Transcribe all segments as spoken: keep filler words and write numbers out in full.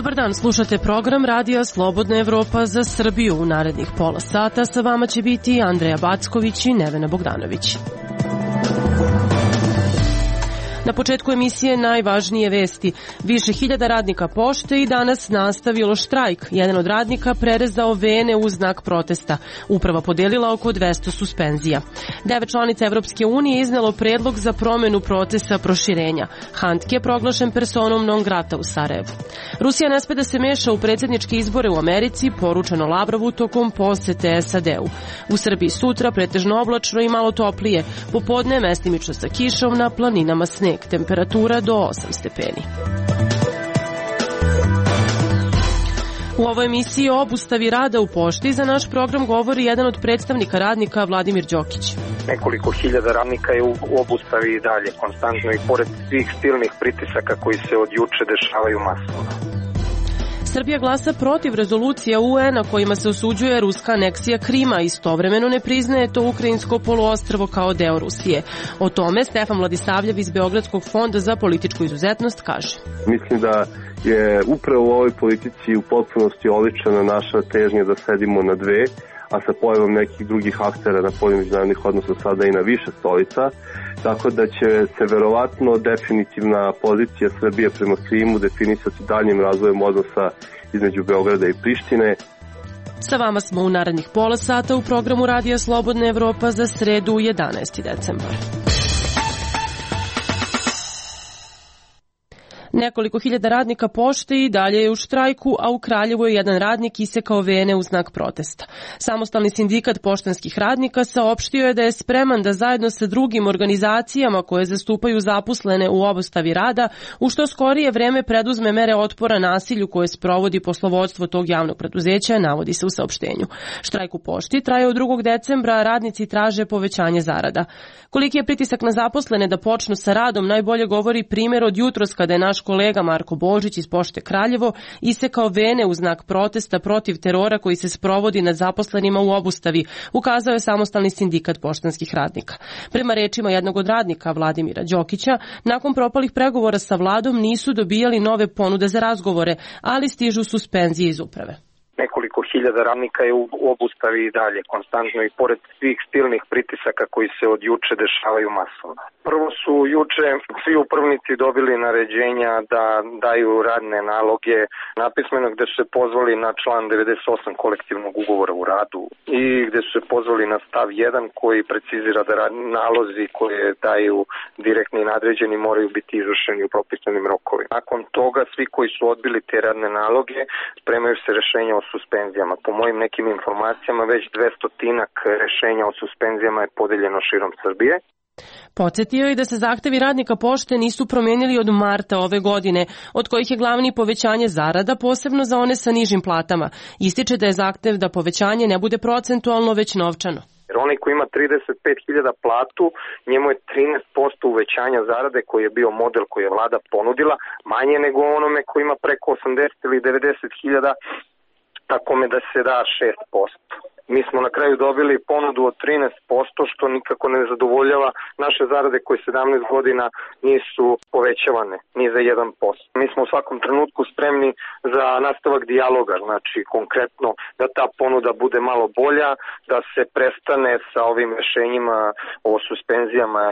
Dobar dan, slušate program Radija Slobodna Evropa za Srbiju. U narednih pola sata sa vama će biti Andreja Backović i Nevena Bogdanović. Na početku emisije najvažnije vesti. Više hiljada radnika pošte i danas nastavilo štrajk. Jedan od radnika prerezao vene u znak protesta. Uprava podelila oko dvesta suspenzija. Devet članica Evropske unije iznelo predlog za promenu procesa proširenja. Handke je proglašen personom non grata u Sarajevu. Rusija ne sme da se meša u predsjedničke izbore u Americi, poručeno Lavrovu tokom posete S A D-u. U Srbiji sutra pretežno oblačno i malo toplije. Popodne mestimično sa kišom, na planinama sneg. Temperatura do osam stepeni. U ovoj emisiji o obustavi rada u pošti za naš program govori jedan od predstavnika radnika, Vladimir Đokić. Nekoliko hiljada radnika je u obustavi i dalje, konstantno, i pored svih silnih pritisaka koji se od juče dešavaju masovno. Srbija glasa protiv rezolucija U N-a kojima se osuđuje ruska aneksija Krima, istovremeno ne priznaje to ukrajinsko poluostrvo kao deo Rusije. O tome Stefan Vladisavljev iz Beogradskog fonda za političku izuzetnost kaže. Mislim da je upravo u ovoj politici u potpunosti oličena naša težnja da sedimo na dve, a sa pojavom nekih drugih aktera na polju međunarodnih odnosa sada i na više stolica, tako da će se verovatno definitivna pozicija Srbije prema Krimu definisati daljim razvojem odnosa između Beograda i Prištine. Sa vama smo u narednih pola sata u programu Radija Slobodna Evropa za sredu jedanaesti decembar. Nekoliko hiljada radnika pošte i dalje je u štrajku, a u Kraljevu je jedan radnik isekao vene u znak protesta. Samostalni sindikat poštanskih radnika saopštio je da je spreman da zajedno sa drugim organizacijama koje zastupaju zaposlene u obustavi rada u što skorije vreme preduzme mere otpora nasilju koje sprovodi poslovodstvo tog javnog preduzeća, navodi se u saopštenju. Štrajk u pošti traje od drugog decembra, a radnici traže povećanje zarada. Koliki je pritisak na zaposlene da počnu sa radom najbolje govori primjer od jutros kada je naš kolega Marko Božić iz Pošte Kraljevo isekao vene u znak protesta protiv terora koji se sprovodi nad zaposlenima u obustavi, ukazao je samostalni sindikat poštanskih radnika. Prema rečima jednog od radnika, Vladimira Đokića, nakon propalih pregovora sa vladom nisu dobijali nove ponude za razgovore, ali stižu suspenzije iz uprave. Nekoliko hiljada radnika je u obustavi i dalje, konstantno, i pored svih silnih pritisaka koji se od juče dešavaju masovno. Prvo su juče svi upravnici dobili naređenja da daju radne naloge napismeno, gde su se pozvali na član devedeset osam kolektivnog ugovora u radu i gde su se pozvali na stav jedan koji precizira da nalozi koje daju direktni i nadređeni moraju biti izvršeni u propisanim rokovima. Nakon toga svi koji su odbili te radne naloge spremaju se rešenja o suspenzijama. Po mojim nekim informacijama već dvestotinak rešenja o suspenzijama je podeljeno širom Srbije. Podsjetio je da se zahtevi radnika pošte nisu promijenili od marta ove godine, od kojih je glavni povećanje zarada, posebno za one sa nižim platama. Ističe da je zahtev da povećanje ne bude procentualno, već novčano. Jer onaj koji ima trideset pet hiljada platu, njemu je trinaest posto uvećanja zarade koji je bio model koji je vlada ponudila, manje nego onome koji ima preko osamdeset ili devedeset hiljada, tako me da se da šest posto. Mi smo na kraju dobili ponudu od trinaest posto, što nikako ne zadovoljava naše zarade koje sedamnaest godina nisu povećavane, ni za jedan posto. Mi smo u svakom trenutku spremni za nastavak dijaloga, znači konkretno da ta ponuda bude malo bolja, da se prestane sa ovim rešenjima o suspenzijama.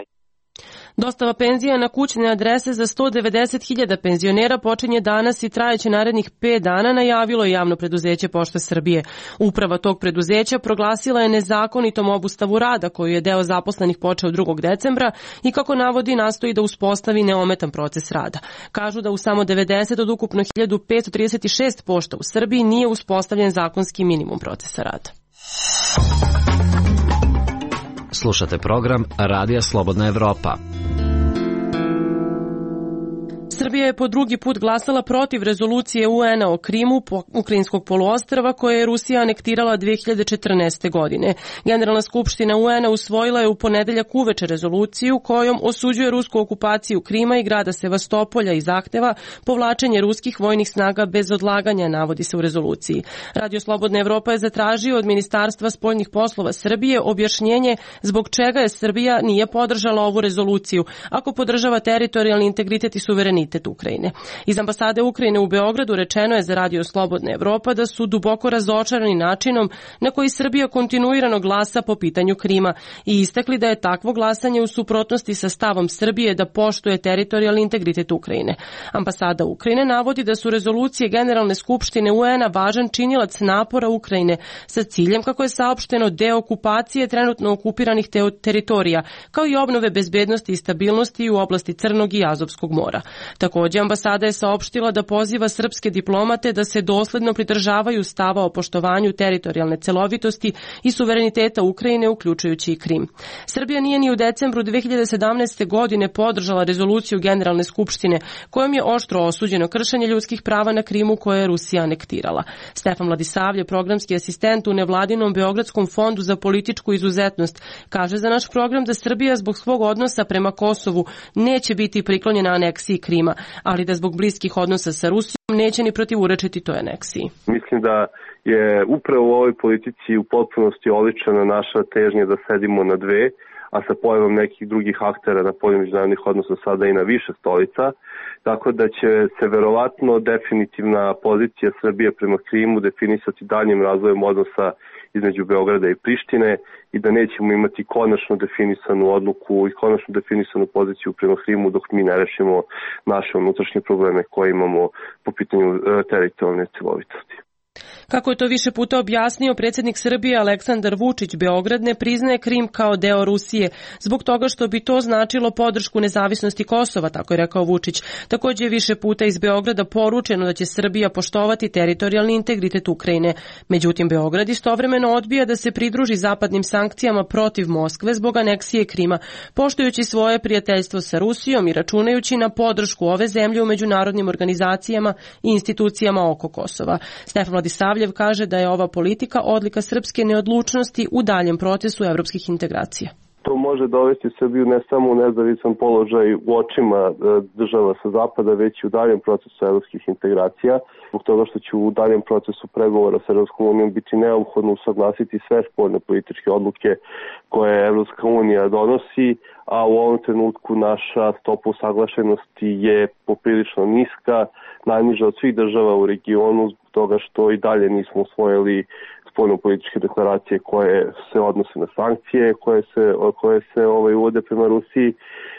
Dostava penzija na kućne adrese za sto devedeset hiljada penzionera počinje danas i trajeće narednih pet dana, najavilo je javno preduzeće Pošte Srbije. Uprava tog preduzeća proglasila je nezakonitom obustavu rada koju je deo zaposlenih počeo drugog decembra i kako navodi nastoji da uspostavi neometan proces rada. Kažu da u samo devedeset od ukupno hiljadu petsto trideset šest pošta u Srbiji nije uspostavljen zakonski minimum procesa rada. Slušate program Radija Slobodna Evropa. Srbija je po drugi put glasala protiv rezolucije U N-a o Krimu, ukrajinskog poluostrva, koje je Rusija anektirala dve hiljade četrnaeste. godine. Generalna skupština U N-a usvojila je u ponedeljak uveče rezoluciju kojom osuđuje rusku okupaciju Krima i grada Sevastopolja i zahteva povlačenje ruskih vojnih snaga bez odlaganja, navodi se u rezoluciji. Radio Slobodna Evropa je zatražio od Ministarstva spoljnih poslova Srbije objašnjenje zbog čega je Srbija nije podržala ovu rezoluciju, ako podržava teritorijalni integritet i suverenitet integritet Ukrajine. Iz ambasade Ukrajine u Beogradu rečeno je za Radio Slobodna Evropa da su duboko razočarani načinom na koji Srbija kontinuirano glasa po pitanju Krima i istakli da je takvo glasanje u suprotnosti sa stavom Srbije da poštuje teritorijalni integritet Ukrajine. Ambasada Ukrajine navodi da su rezolucije Generalne skupštine U N-a važan činilac napora Ukrajine sa ciljem, kako je saopšteno, deokupacije trenutno okupiranih teritorija, kao i obnove bezbednosti i stabilnosti u oblasti Crnog i Azovskog mora. Takođe, ambasada je saopštila da poziva srpske diplomate da se dosledno pridržavaju stava o poštovanju teritorijalne celovitosti i suvereniteta Ukrajine, uključujući i Krim. Srbija nije ni u decembru dve hiljade sedamnaeste. godine podržala rezoluciju Generalne skupštine kojom je oštro osuđeno kršenje ljudskih prava na Krimu koje je Rusija anektirala. Stefan Vladisavljev, programski asistent u nevladinom Beogradskom fondu za političku izuzetnost, kaže za naš program da Srbija zbog svog odnosa prema Kosovu neće biti priklonjena aneksiji Krima, ali da zbog bliskih odnosa sa Rusijom neće ni protivurečiti toj aneksiji. Mislim da je upravo u ovoj politici u potpunosti oličena naša težnja da sedimo na dve, a sa pojavom nekih drugih aktera na polju međunarodnih odnosa sada i na više stolica, tako da će se verovatno definitivna pozicija Srbije prema Krimu definisati daljim razvojem odnosa između Beograda i Prištine i da nećemo imati konačno definisanu odluku i konačno definisanu poziciju prema Krimu dok mi ne rešimo naše unutrašnje probleme koje imamo po pitanju teritorijalne celovitosti. Kako je to više puta objasnio predsjednik Srbije Aleksandar Vučić, Beograd ne priznaje Krim kao deo Rusije zbog toga što bi to značilo podršku nezavisnosti Kosova, tako je rekao Vučić. Također je više puta iz Beograda poručeno da će Srbija poštovati teritorijalni integritet Ukrajine. Međutim, Beograd istovremeno odbija da se pridruži zapadnim sankcijama protiv Moskve zbog aneksije Krima, poštujući svoje prijateljstvo sa Rusijom i računajući na podršku ove zemlje u međunarodnim organizacijama i institucijama oko Kosova. Stefan Vladisavljev kaže da je ova politika odlika srpske neodlučnosti u daljem procesu evropskih integracija. To može dovesti Srbiju ne samo u nezavisan položaj u očima država sa zapada, već i u daljem procesu evropskih integracija, zbog toga što će u daljem procesu pregovora sa Evropskom unijom biti neophodno usaglasiti sve spoljne političke odluke koje Evropska unija donosi, a u ovom trenutku naša stopa usaglašenosti je poprilično niska, najniža od svih država u regionu, zbog toga što i dalje nismo usvojili spoljno-političke deklaracije koje se odnose na sankcije, koje se, koje se ovaj, uvode prema Rusiji,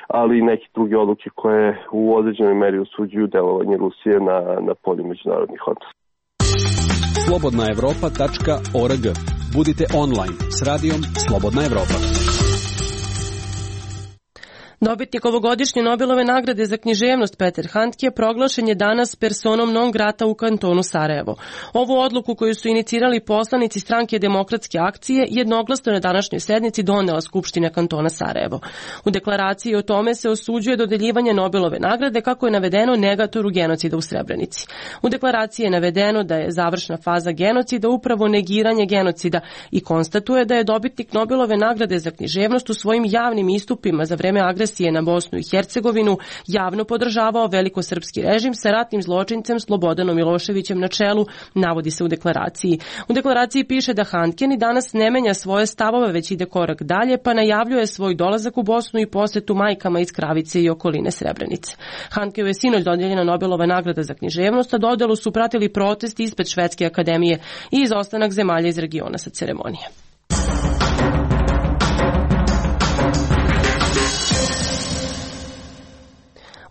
ali i neke druge odluke koje u određenoj meri osuđuju delovanje Rusije na, na polju međunarodnih odnosa. slobodna evropa tačka org. Budite online s radijom Slobodna Evropa. Dobitnik ovogodišnje Nobelove nagrade za književnost Peter Handke proglašen je danas personom non grata u kantonu Sarajevo. Ovu odluku koju su inicirali poslanici stranke Demokratske akcije jednoglasno na današnjoj sednici donela Skupština kantona Sarajevo. U deklaraciji o tome se osuđuje dodeljivanje Nobelove nagrade kako je navedeno negatoru genocida u Srebrenici. U deklaraciji je navedeno da je završna faza genocida upravo negiranje genocida i konstatuje da je dobitnik Nobelove nagrade za književnost u svojim javnim istupima za vreme agresije na Bosnu i Hercegovinu javno podržavao velikosrpski režim sa ratnim zločincem Slobodanom Miloševićem na čelu, navodi se u deklaraciji. U deklaraciji piše da Handke ni danas ne menja svoje stavove, već ide korak dalje, pa najavljuje svoj dolazak u Bosnu i posetu majkama iz Kravice i okoline Srebrenice. Handkeu je sinoć dodijeljena Nobelova nagrada za književnost, a dodelu su pratili protesti ispred Švedske akademije i izostanak zemalja iz regiona sa ceremonije.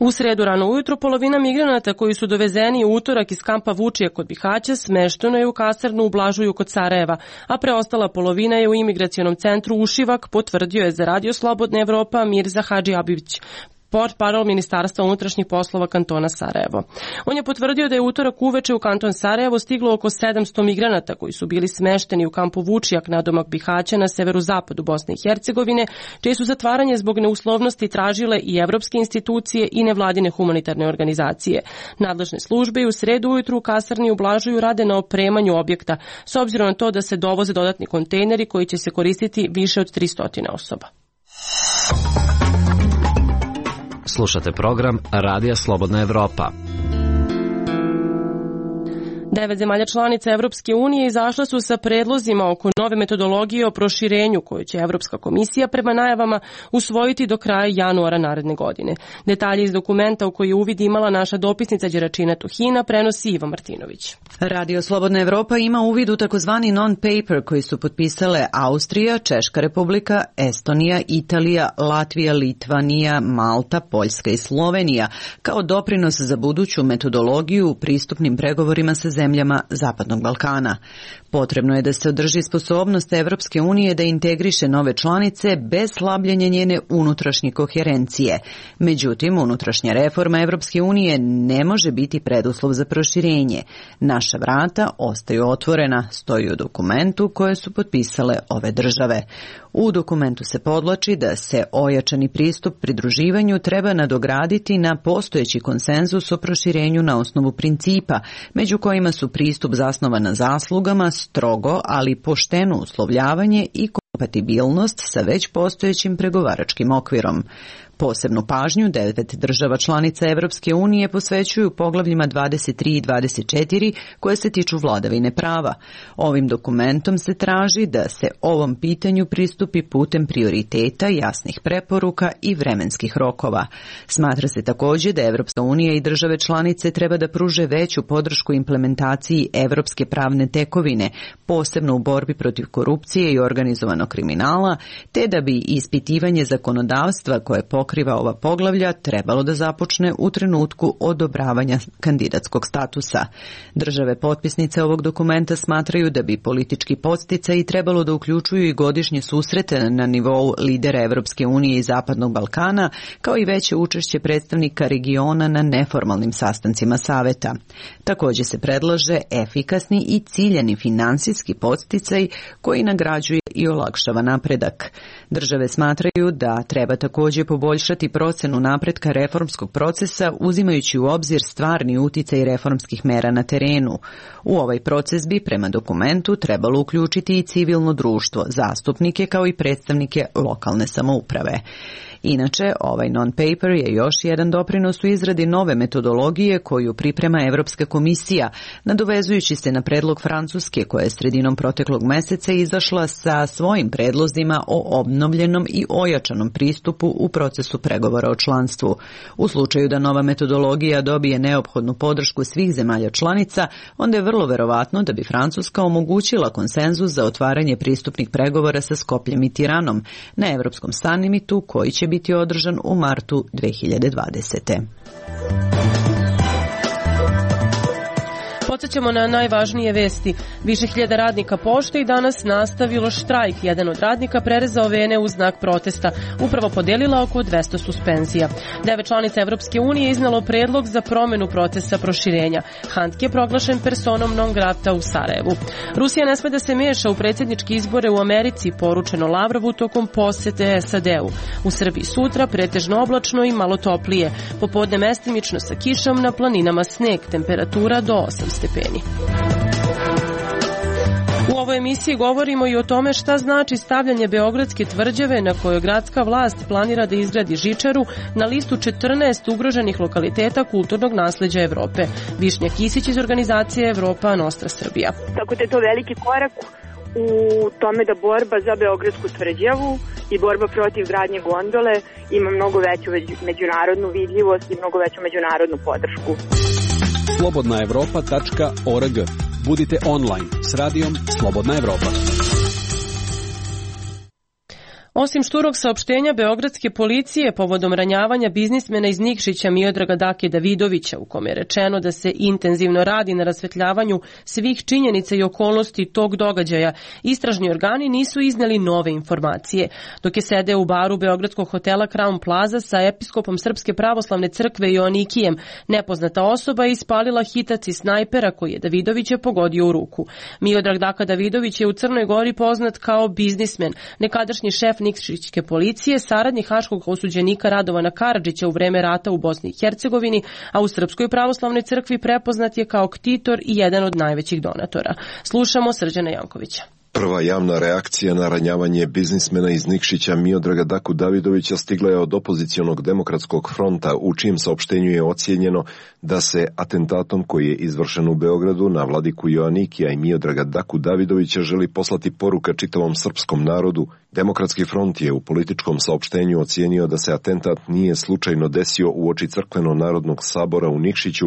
U sredu rano ujutro polovina migranata koji su dovezeni u utorak iz kampa Vučije kod Bihaća smešteno je u kasarnu u Blažuju kod Sarajeva, a preostala polovina je u imigracionom centru Ušivak, potvrdio je za Radio Slobodna Evropa Mirza Hadži Abić, portparol Ministarstva unutrašnjih poslova kantona Sarajevo. On je potvrdio da je utorak uveče u kanton Sarajevo stiglo oko sedamsto migranata koji su bili smešteni u kampu Vučijak nadomak Bihaća na severozapadu Bosne i Hercegovine, čije su zatvaranje zbog neuslovnosti tražile i evropske institucije i nevladine humanitarne organizacije. Nadležne službe i u sredu ujutru u kasarni u Blažuju rade na opremanju objekta, s obzirom na to da se dovoze dodatni kontejneri koji će se koristiti više od tristo osoba. Slušate program Radija Slobodna Evropa. Devet zemalja članica Evropske unije izašla su sa predlozima oko nove metodologije o proširenju koju će Evropska komisija prema najavama usvojiti do kraja januara naredne godine. Detalje iz dokumenta u koji je uvid imala naša dopisnica Đeračina Tuhina prenosi Iva Martinović. Radio Slobodna Evropa ima uvid u takozvani non-paper koji su potpisale Austrija, Češka republika, Estonija, Italija, Latvija, Litvanija, Malta, Poljska i Slovenija kao doprinos za buduću metodologiju u pristupnim pregovorima sa zemljama Zapadnog Balkana. Potrebno je da se održi sposobnost Evropske unije da integriše nove članice bez slabljenja njene unutrašnje koherencije. Međutim, unutrašnja reforma Evropske unije ne može biti preduslov za proširenje. Naša vrata ostaju otvorena, stoji u dokumentu koje su potpisale ove države. U dokumentu se podvlači da se ojačani pristup pridruživanju treba nadograditi na postojeći konsenzus o proširenju na osnovu principa, među kojima su pristup zasnovan na zaslugama, strogo, ali pošteno uslovljavanje i kompatibilnost sa već postojećim pregovaračkim okvirom. Posebnu pažnju devet država članica Evropske unije posvećuju poglavljima dvadeset tri i dvadeset četiri koje se tiču vladavine prava. Ovim dokumentom se traži da se ovom pitanju pristupi putem prioriteta, jasnih preporuka i vremenskih rokova. Smatra se također da Evropska unija i države članice treba da pruže veću podršku implementaciji evropske pravne tekovine, posebno u borbi protiv korupcije i organizovanog kriminala, te da bi ispitivanje zakonodavstva koje pokriva ova poglavlja trebalo da započne u trenutku odobravanja kandidatskog statusa. Države potpisnice ovog dokumenta smatraju da bi politički podsticaji trebalo da uključuju i godišnje susrete na nivou lidera Evropske unije i Zapadnog Balkana, kao i veće učešće predstavnika regiona na neformalnim sastancima saveta. Također se predlaže efikasni i ciljani finansijski podsticaj koji nagrađuje i olakšava napredak. Države smatraju da treba također poboljšati procenu napretka reformskog procesa uzimajući u obzir stvarni uticaj reformskih mera na terenu. U ovaj proces bi prema dokumentu trebalo uključiti i civilno društvo, zastupnike kao i predstavnike lokalne samouprave. Inače, ovaj non-paper je još jedan doprinos u izradi nove metodologije koju priprema Evropska komisija, nadovezujući se na predlog Francuske koja je sredinom proteklog meseca izašla sa svojim predlozima o obnovljenom i ojačanom pristupu u procesu pregovora o članstvu. U slučaju da nova metodologija dobije neophodnu podršku svih zemalja članica, onda je vrlo verovatno da bi Francuska omogućila konsenzus za otvaranje pristupnih pregovora sa Skopljem i Tiranom na Evropskom sammitu koji će biti održan u martu dve hiljade dvadesete. Podsjećamo na najvažnije vesti. Više hiljada radnika pošte i danas nastavilo štrajk. Jedan od radnika prerezao vene u znak protesta. Upravo podelila oko dvesta suspenzija. Devet članica Evropske unije iznalo predlog za promenu procesa proširenja. Handke je proglašen personom non grata u Sarajevu. Rusija ne sme da se meša u predsjedničke izbore u Americi, poručeno Lavrovu tokom posete S A D-u. U Srbiji sutra pretežno oblačno i malo toplije. Popodne mestimično sa kišom, na planinama sneg, temperatura do osam stepeni. U ovoj emisiji govorimo i o tome šta znači stavljanje Beogradske tvrđave na kojoj gradska vlast planira da izgradi žičaru na listu četrnaest ugroženih lokaliteta kulturnog nasleđa Evrope. Višnja Kisić iz organizacije Evropa Nostra Srbija. Tako da je to veliki korak u tome da borba za Beogradsku tvrđavu i borba protiv gradnje gondole ima mnogo veću međunarodnu vidljivost i mnogo veću međunarodnu podršku. slobodna evropa tačka org. Budite online s radijom Slobodna Evropa. Osim šturog saopštenja beogradske policije povodom ranjavanja biznismena iz Nikšića Miodraga Dake Davidovića, u kome je rečeno da se intenzivno radi na rasvetljavanju svih činjenica i okolnosti tog događaja, istražni organi nisu izneli nove informacije. Dok je sedeo u baru beogradskog hotela Crown Plaza sa episkopom Srpske pravoslavne crkve Joanikijem, nepoznata osoba je ispalila hitac iz snajpera koji je Davidovića pogodio u ruku. Miodrag Daka Davidović je u Crnoj Gori poznat kao biznismen, nekadašnji šef Nikšićke policije, saradnik haškog osuđenika Radovana Karadžića u vreme rata u Bosni i Hercegovini, a u Srpskoj pravoslavnoj crkvi prepoznat je kao ktitor i jedan od najvećih donatora. Slušamo Srđana Jankovića. Prva javna reakcija na ranjavanje biznismena iz Nikšića Miodraga Daku Davidovića stigla je od opozicionog demokratskog fronta, u čijem saopštenju je ocijenjeno da se atentatom koji je izvršen u Beogradu na vladiku Joanikija i Miodraga Daku Davidovića želi poslati poruka čitavom srpskom narodu. Demokratski front je u političkom saopštenju ocijenio da se atentat nije slučajno desio uoči crkveno-narodnog sabora u Nikšiću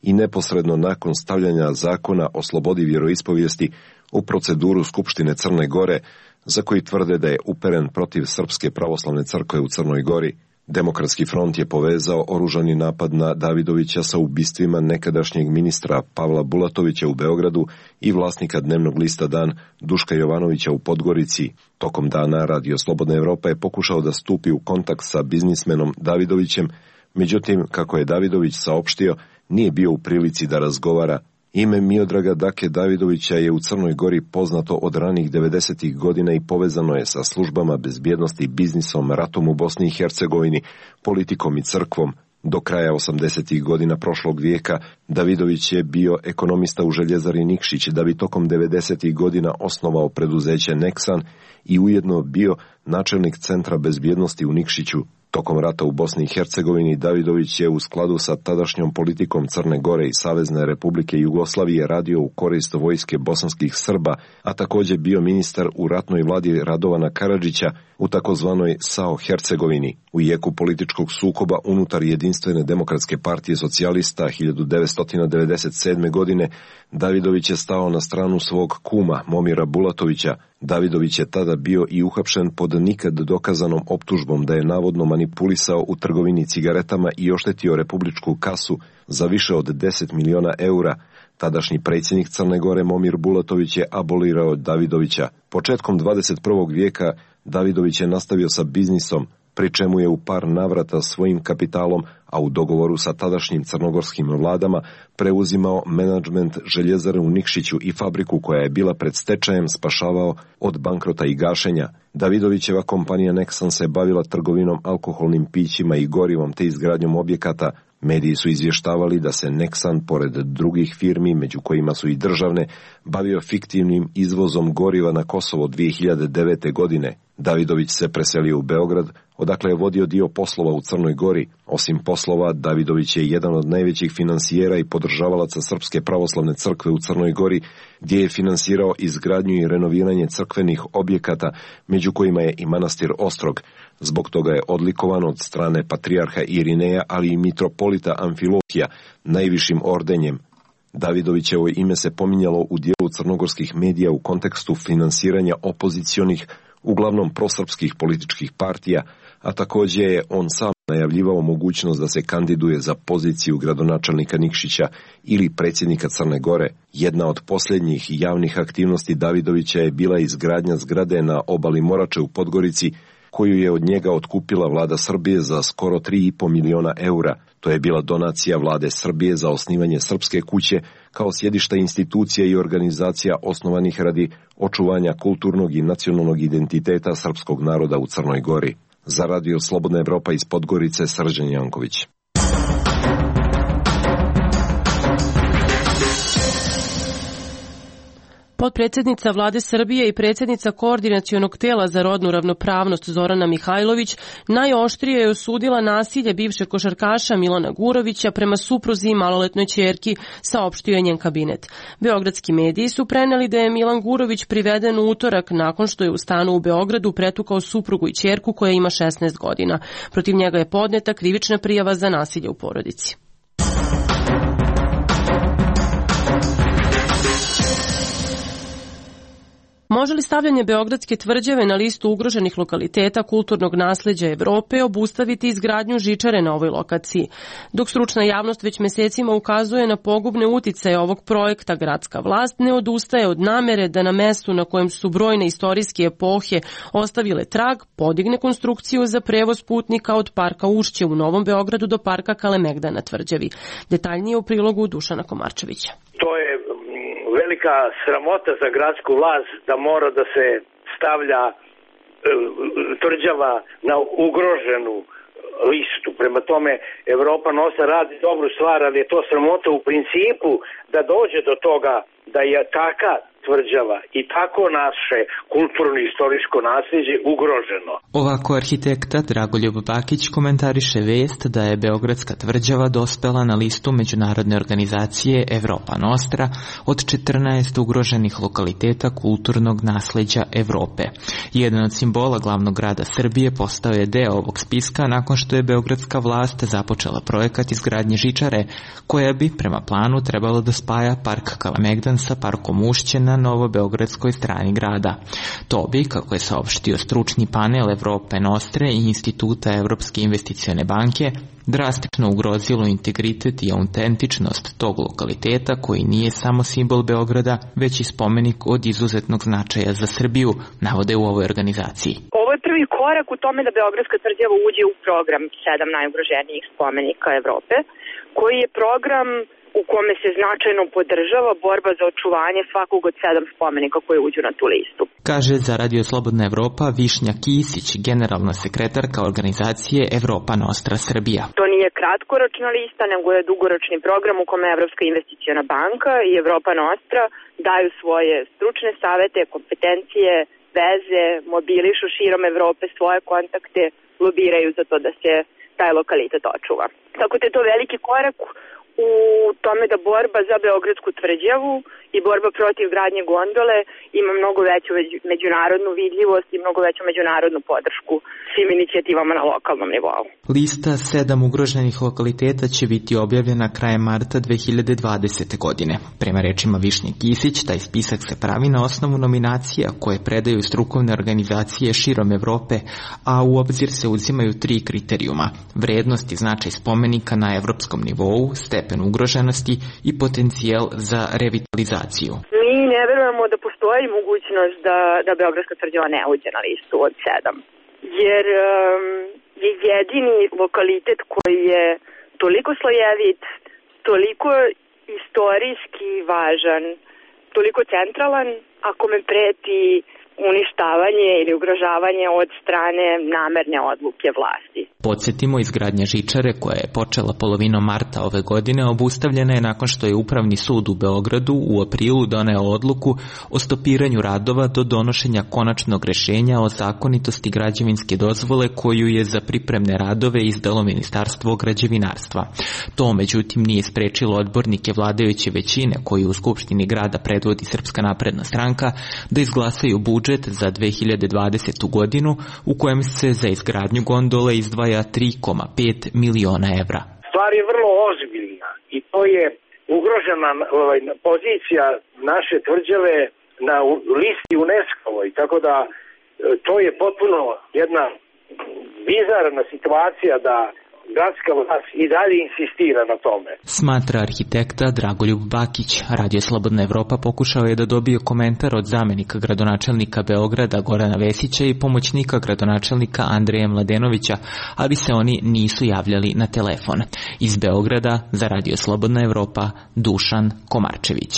i neposredno nakon stavljanja zakona o slobodi vjeroispovijesti u proceduru Skupštine Crne Gore, za koji tvrde da je uperen protiv Srpske pravoslavne crkve u Crnoj Gori. Demokratski front je povezao oružani napad na Davidovića sa ubistvima nekadašnjeg ministra Pavla Bulatovića u Beogradu i vlasnika dnevnog lista Dan Duška Jovanovića u Podgorici. Tokom dana Radio Slobodna Evropa je pokušao da stupi u kontakt sa biznismenom Davidovićem, međutim, kako je Davidović saopštio, nije bio u prilici da razgovara. Ime Miodraga Dake Davidovića je u Crnoj Gori poznato od ranih devedesetih godina i povezano je sa službama bezbjednosti, biznisom, ratom u Bosni i Hercegovini, politikom i crkvom. Do kraja osamdesetih godina prošlog vijeka Davidović je bio ekonomista u Željezari Nikšić, da bi tokom devedesetih godina osnovao preduzeće Neksan i ujedno bio načelnik Centra bezbjednosti u Nikšiću. Tokom rata u Bosni i Hercegovini Davidović je u skladu sa tadašnjom politikom Crne Gore i Savezne Republike Jugoslavije radio u korist vojske bosanskih Srba, a također bio ministar u ratnoj vladi Radovana Karadžića u takozvanoj S A O Hercegovini. U jeku političkog sukoba unutar Jedinstvene demokratske partije socijalista hiljadu devetsto devedeset sedme. godine Davidović je stao na stranu svog kuma Momira Bulatovića. Davidović je tada bio i uhapšen pod nikad dokazanom optužbom da je navodno manipulisao u trgovini cigaretama i oštetio republičku kasu za više od deset miliona eura. Tadašnji predsjednik Crne Gore Momir Bulatović je abolirao Davidovića. Početkom dvadeset prvog vijeka Davidović je nastavio sa biznisom, pri čemu je u par navrata svojim kapitalom, a u dogovoru sa tadašnjim crnogorskim vladama, preuzimao menadžment Željezare u Nikšiću i fabriku koja je bila pred stečajem spašavao od bankrota i gašenja. Davidovićeva kompanija Neksan se bavila trgovinom alkoholnim pićima i gorivom te izgradnjom objekata. Mediji su izvještavali da se Neksan, pored drugih firmi, među kojima su i državne, bavio fiktivnim izvozom goriva na Kosovo dvije hiljade devete. godine. Davidović se preselio u Beograd, odakle je vodio dio poslova u Crnoj Gori. Osim poslova, Davidović je jedan od najvećih finansijera i podržavalaca Srpske pravoslavne crkve u Crnoj Gori, gdje je finansirao izgradnju i renoviranje crkvenih objekata, među kojima je i manastir Ostrog. Zbog toga je odlikovan od strane patrijarha Irineja, ali i mitropolita Amfilohija, najvišim ordenjem. Davidovićevo ime se pominjalo u dijelu crnogorskih medija u kontekstu finansiranja opozicionih, uglavnom prosrpskih političkih partija, a također je on sam najavljivao mogućnost da se kandiduje za poziciju gradonačelnika Nikšića ili predsjednika Crne Gore. Jedna od posljednjih javnih aktivnosti Davidovića je bila izgradnja zgrade na obali Morače u Podgorici, koju je od njega otkupila vlada Srbije za skoro tri i po miliona eura. To je bila donacija vlade Srbije za osnivanje Srpske kuće kao sjedišta institucija i organizacija osnovanih radi očuvanja kulturnog i nacionalnog identiteta srpskog naroda u Crnoj Gori. Za Radio Slobodna Evropa iz Podgorice, Srđan Janković. Potpredsjednica vlade Srbije i predsjednica koordinacionog tela za rodnu ravnopravnost Zorana Mihajlović najoštrije je osudila nasilje bivšeg košarkaša Milana Gurovića prema supruzi i maloletnoj ćerki, saopštio je njen kabinet. Beogradski mediji su preneli da je Milan Gurović priveden u utorak nakon što je u stanu u Beogradu pretukao suprugu i ćerku koja ima šesnaest godina. Protiv njega je podneta krivična prijava za nasilje u porodici. Može li stavljanje Beogradske tvrđave na listu ugroženih lokaliteta kulturnog nasleđa Evrope obustaviti izgradnju žičare na ovoj lokaciji? Dok stručna javnost već mesecima ukazuje na pogubne uticaje ovog projekta, gradska vlast ne odustaje od namere da na mestu na kojem su brojne istorijske epohe ostavile trag, podigne konstrukciju za prevoz putnika od parka Ušće u Novom Beogradu do parka Kalemegdan na tvrđavi. Detaljnije u prilogu Dušana Komarčevića. To je velika sramota za gradsku vlast da mora da se stavlja e, tvrđava na ugroženu listu. Prema tome, Evropa nosa radi dobru stvar, ali je to sramota u principu da dođe do toga da je taka tvrđava i tako naše kulturno-istorijsko nasljeđe ugroženo. Ovako arhitekta Dragoljub Bakić komentariše vest da je Beogradska tvrđava dospela na listu međunarodne organizacije Evropa Nostra od četrnaest ugroženih lokaliteta kulturnog nasleđa Evrope. Jedan od simbola glavnog grada Srbije postao je deo ovog spiska nakon što je beogradska vlast započela projekat izgradnje žičare, koja bi prema planu trebalo da spaja park Kalemegdan sa parkom Ušće na novobeogradskoj strani grada. To bi, kako je saopštio stručni panel Evrope Nostre i Instituta Evropske investicione banke, drastično ugrozilo integritet i autentičnost tog lokaliteta koji nije samo simbol Beograda, već i spomenik od izuzetnog značaja za Srbiju, navode u ovoj organizaciji. Ovo je prvi korak u tome da Beogradska tvrđava uđe u program sedam najugroženijih spomenika Evrope, koji je program u kome se značajno podržava borba za očuvanje svakog od sedam spomenika koji uđu na tu listu. Kaže za Radio Slobodna Evropa Višnja Kisić, generalna sekretarka organizacije Evropa Nostra Srbija. To nije kratkoročna lista, nego je dugoročni program u kome Evropska investiciona banka i Evropa Nostra daju svoje stručne savete, kompetencije, veze, mobilišu širom Evrope svoje kontakte, lobiraju za to da se taj lokalitet očuva. Tako da je to veliki korak u tome da borba za Beogradsku tvrđavu i borba protiv gradnje gondole ima mnogo veću međunarodnu vidljivost i mnogo veću međunarodnu podršku svim inicijativama na lokalnom nivou. Lista sedam ugroženih lokaliteta će biti objavljena krajem marta dve hiljade dvadesete. godine. Prema rečima Višnje Kisić, taj spisak se pravi na osnovu nominacija koje predaju strukovne organizacije širom Evrope, a u obzir se uzimaju tri kriterijuma: vrednost i značaj spomenika na evropskom nivou, stepen ugroženosti i potencijal za revitalizaciju. Mi ne verujemo da postoji mogućnost da, da Beogradska tvrđava ne uđe na listu od sedam. Jer um, je jedini lokalitet koji je toliko slojevit, toliko istorijski važan, toliko centralan, ako me preti uništavanje ili ugrožavanje od strane namerne odluke vlasti. Podsjetimo, izgradnja žičare koja je počela polovinom marta ove godine obustavljena je nakon što je Upravni sud u Beogradu u aprilu doneo odluku o stopiranju radova do donošenja konačnog rešenja o zakonitosti građevinske dozvole koju je za pripremne radove izdalo Ministarstvo građevinarstva. To međutim nije sprečilo odbornike vladajuće većine koji u Skupštini grada predvodi Srpska napredna stranka da izglasaju budžet za dve hiljade dvadesetu. godinu u kojem se za izgradnju gondole izdvaja tri zarez pet miliona evra. Stvar je vrlo ozbiljna i to je ugrožena ovaj, pozicija naše tvrđave na listi UNESCO-ovoj, tako da to je potpuno jedna bizarna situacija da gradska vlast i dalje insistira na tome. Smatra arhitekta Dragoljub Bakić. Radio Slobodna Evropa pokušao je da dobije komentar od zamenika gradonačelnika Beograda Gorana Vesića i pomoćnika gradonačelnika Andreja Mladenovića, ali se oni nisu javljali na telefon. Iz Beograda za Radio Slobodna Evropa Dušan Komarčević.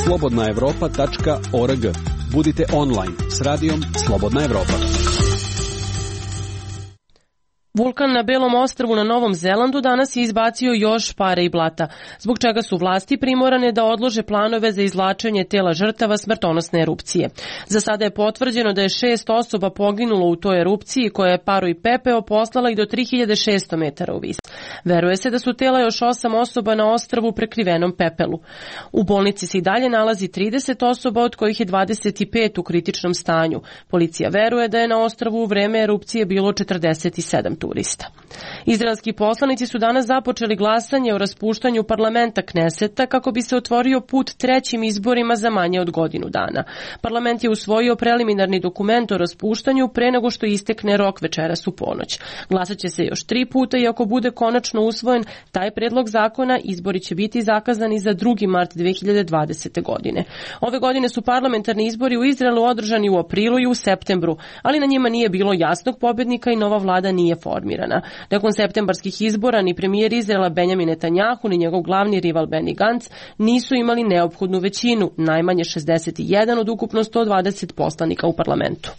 slobodna evropa tačka org. Budite online s radijom Slobodna Evropa. Vulkan na Belom ostrvu na Novom Zelandu danas je izbacio još pare i blata, zbog čega su vlasti primorane da odlože planove za izvlačenje tela žrtava smrtonosne erupcije. Za sada je potvrđeno da je šest osoba poginulo u toj erupciji koja je paru i pepeo poslala i do tri hiljade šesto metara u vis. Veruje se da su tela još osam osoba na ostrvu prekrivenom pepelu. U bolnici se i dalje nalazi trideset osoba, od kojih je dvadeset pet u kritičnom stanju. Policija veruje da je na ostrvu u vreme erupcije bilo četrdeset sedam turista. Izraelski poslanici su danas započeli glasanje o raspuštanju parlamenta Kneseta kako bi se otvorio put trećim izborima za manje od godinu dana. Parlament je usvojio preliminarni dokument o raspuštanju pre nego što istekne rok večeras u ponoć. Glasat će se još tri puta i ako bude konačno usvojen taj predlog zakona, izbori će biti zakazani za drugi mart dve hiljade dvadesete. godine. Ove godine su parlamentarni izbori u Izraelu održani u aprilu i u septembru, ali na njima nije bilo jasnog pobednika i nova vlada nije formirana. Nakon septembarskih izbora ni premijer Izraela Benjamin Netanjahu ni njegov glavni rival Benny Gantz nisu imali neophodnu većinu, najmanje šezdeset jedan od ukupno sto dvadeset poslanika u parlamentu.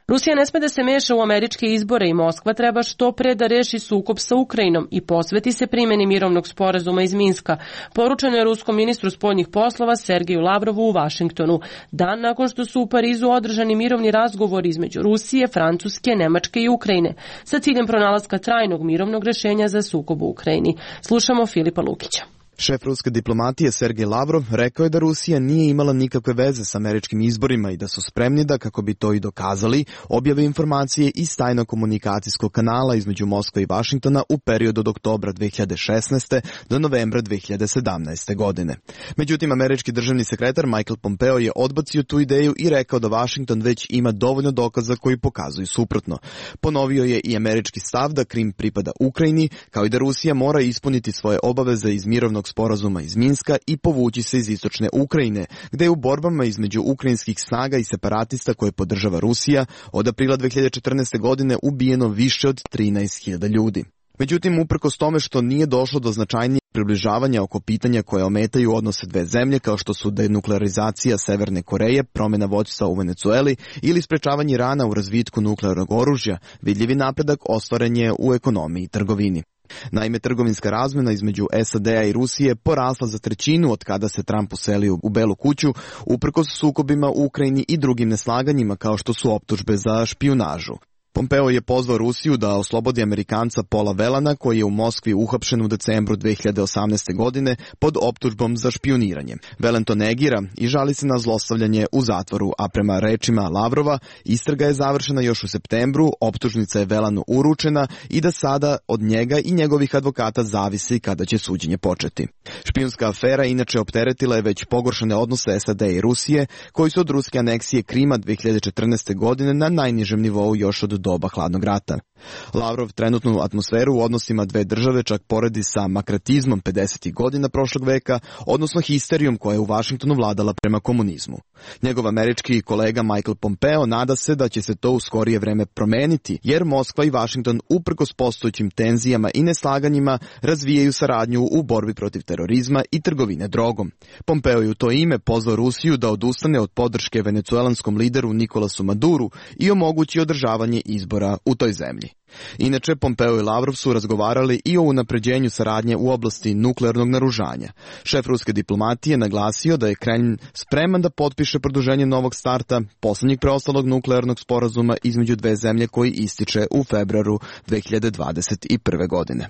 Rusija ne sme da se meša u američke izbore i Moskva treba što pre da reši sukob sa Ukrajinom i posveti se primjeni mirovnog sporazuma iz Minska, poručeno je ruskom ministru spoljnih poslova Sergeju Lavrovu u Vašingtonu, dan nakon što su u Parizu održani mirovni razgovori između Rusije, Francuske, Nemačke i Ukrajine, sa ciljem pronalaska trajnog mirovnog rešenja za sukob u Ukrajini. Slušamo Filipa Lukića. Šef ruske diplomatije Sergej Lavrov rekao je da Rusija nije imala nikakve veze s američkim izborima i da su spremni da, kako bi to i dokazali, objave informacije iz tajnog komunikacijskog kanala između Moskve i Vašingtona u periodu od oktobra dve hiljade šesnaeste. do novembra dve hiljade sedamnaeste. godine. Međutim, američki državni sekretar Michael Pompeo je odbacio tu ideju i rekao da Vašington već ima dovoljno dokaza koji pokazuju suprotno. Ponovio je i američki stav da Krim pripada Ukrajini, kao i da Rusija mora ispuniti svoje obaveze iz mirovnog sporazuma iz Minska i povući se iz istočne Ukrajine, gde je u borbama između ukrajinskih snaga i separatista koje podržava Rusija od aprila dve hiljade četrnaeste. godine ubijeno više od trinaest hiljada ljudi. Međutim, uprkos tome što nije došlo do značajnijeg približavanja oko pitanja koje ometaju odnose dve zemlje, kao što su denuklearizacija Severne Koreje, promjena vođstva u Venecueli ili sprečavanje Irana u razvitku nuklearnog oružja, vidljivi napredak ostvaren je u ekonomiji i trgovini. Naime, trgovinska razmjena između S A D-a i Rusije porasla za trećinu od kada se Trump uselio u Belu kuću, uprkos sukobima u Ukrajini i drugim neslaganjima kao što su optužbe za špijunažu. Pompeo je pozvao Rusiju da oslobodi Amerikanca Paula Velana, koji je u Moskvi uhapšen u decembru dve hiljade osamnaeste. godine pod optužbom za špijuniranje. Velan to negira i žali se na zlostavljanje u zatvoru, a prema rečima Lavrova, istraga je završena još u septembru, optužnica je Velanu uručena i da sada od njega i njegovih advokata zavisi kada će suđenje početi. Špijunska afera inače opteretila je već pogoršane odnose S A D i Rusije, koji su od ruske aneksije Krima dve hiljade četrnaeste. godine na najnižem nivou još od doba hladnog rata. Lavrov trenutnu atmosferu u odnosima dve države čak poredi sa makratizmom pedesetih godina prošlog veka, odnosno histerijom koja je u Vašingtonu vladala prema komunizmu. Njegov američki kolega Michael Pompeo nada se da će se to u skorije vreme promeniti, jer Moskva i Vašington uprkos postojećim tenzijama i neslaganjima razvijaju saradnju u borbi protiv terorizma i trgovine drogom. Pompeo je u to ime pozvao Rusiju da odustane od podrške venecuelanskom lideru Nikolasu Maduru i omogući održavanje izbora u toj zemlji. Inače, Pompeo i Lavrov su razgovarali i o unapređenju saradnje u oblasti nuklearnog naoružanja. Šef ruske diplomatije naglasio da je Kremlj spreman da potpiše produženje novog starta, poslednjeg preostalog nuklearnog sporazuma između dve zemlje koji ističe u februaru dve hiljade dvadeset prve. godine.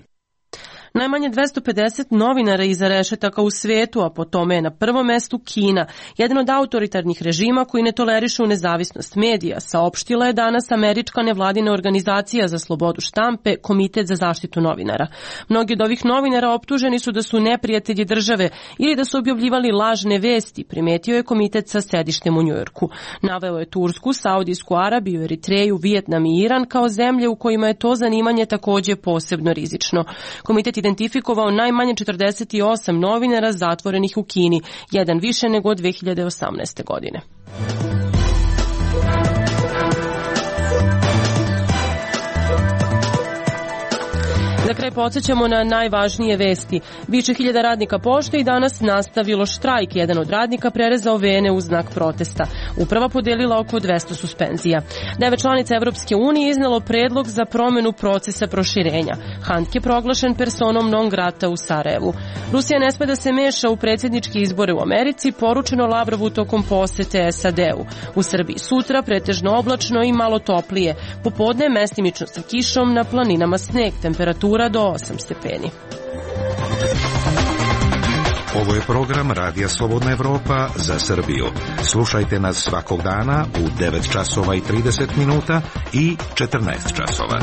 Najmanje dvesta pedeset novinara iza rešetaka u svetu, a po tome je na prvom mestu Kina, jedan od autoritarnih režima koji ne tolerišu nezavisnost medija, saopštila je danas američka nevladina organizacija za slobodu štampe, Komitet za zaštitu novinara. Mnogi od ovih novinara optuženi su da su neprijatelji države ili da su objavljivali lažne vesti, primetio je komitet sa sedištem u Njujorku. Naveo je Tursku, Saudijsku Arabiju, Eritreju, Vijetnam i Iran kao zemlje u kojima je to zanimanje takođe posebno rizično. Komitet identifikovao najmanje četrdeset osam novinara zatvorenih u Kini, jedan više nego od dve hiljade osamnaeste. godine. Za kraj podsjećamo na najvažnije vesti. Više hiljada radnika pošte i danas nastavilo štrajk. Jedan od radnika prerezao vene u znak protesta. Uprava podelila oko dvesta suspenzija. Devet članica Evropske unije iznelo predlog za promenu procesa proširenja. Handke je proglašen personom non grata u Sarajevu. Rusija ne sme da se meša u predsjedničke izbore u Americi, poručeno Lavrovu tokom posete S A D-u. U Srbiji sutra pretežno oblačno i malo toplije. Popodne mestimično sa kišom, na planinama sneg, temperatura do osam stepeni. Ovo je program Radija Slobodna Evropa za Srbiju. Slušajte nas svakog dana u devet časova i trideset minuta i četrnaest časova.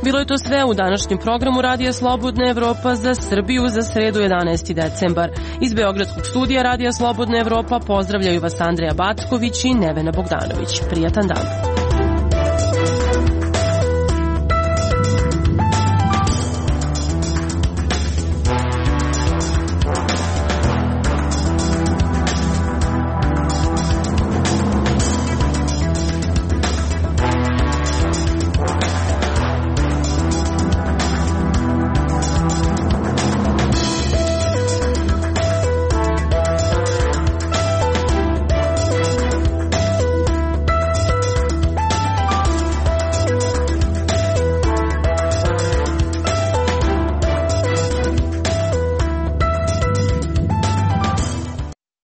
Bilo je to sve u današnjem programu Radija Slobodna Evropa za Srbiju za sredu jedanaesti decembar. Iz Beogradskog studija Radija Slobodna Evropa pozdravljaju vas Andreja Backović i Nevena Bogdanović. Prijatan dan.